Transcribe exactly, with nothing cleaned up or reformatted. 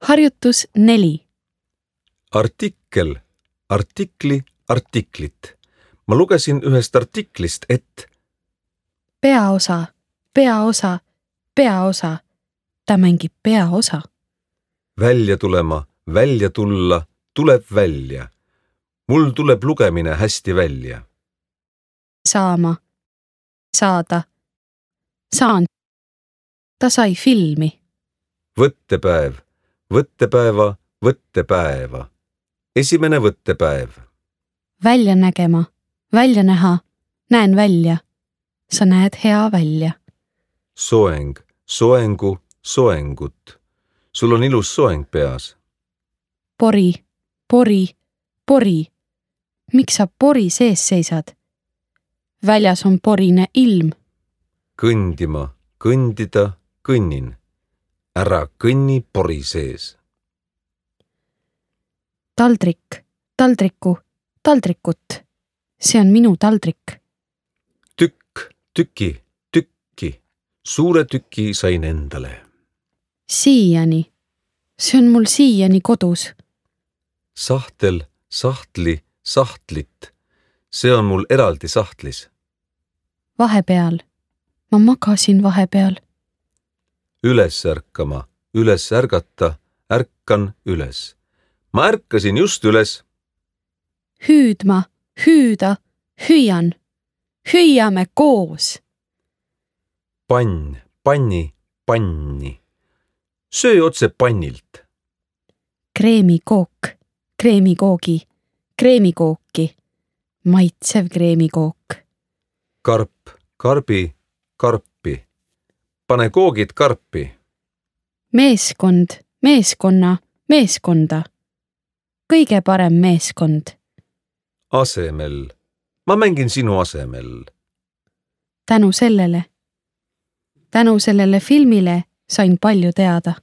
Harjutus neli. Artikkel, artikli, artiklit. Ma lugesin ühest artiklist, et Peaosa, peaosa, peaosa. Ta mängib peaosa. välja tulema, välja tulla, tuleb välja. Mul tuleb lugemine hästi välja. Saama, saada, saan. Ta sai filmi. Võttepäev, võttepäeva, võttepäeva. Esimene võttepäev. Välja nägema, välja näha, näen välja. Sa näed hea välja. Soeng, soengu, soengut. Sul on ilus soeng peas. Pori, pori, pori. Miks sa pori sees seisad? Väljas on porine ilm. Kõndima, kõndida, kõnnin. Ära kõnni pori sees. Taldrik, taldriku, taldrikut. See on minu taldrik. Tükk, tüki, tükki. Suure tüki sain endale. Siiani. See on mul siiani kodus. Sahtel, sahtli, sahtlit. See on mul eraldi sahtlis. Vahepeal. Ma magasin vahepeal. Üles ärkama, üles ärgata, ärkan üles. Ma ärkasin just üles. Hüüdma, hüüda, hüüan. Hüüame koos. Pann, panni, panni. Söö otse pannilt. Kreemikook, kreemikoogi, kreemikooki. Maitsev kreemikook. Karp, karbi, karpi. Pane koogid karpi. Meeskond, meeskonna, meeskonda. Kõige parem meeskond. Asemel. Ma mängin sinu asemel. Tänu sellele. Tänu sellele filmile sain palju teada.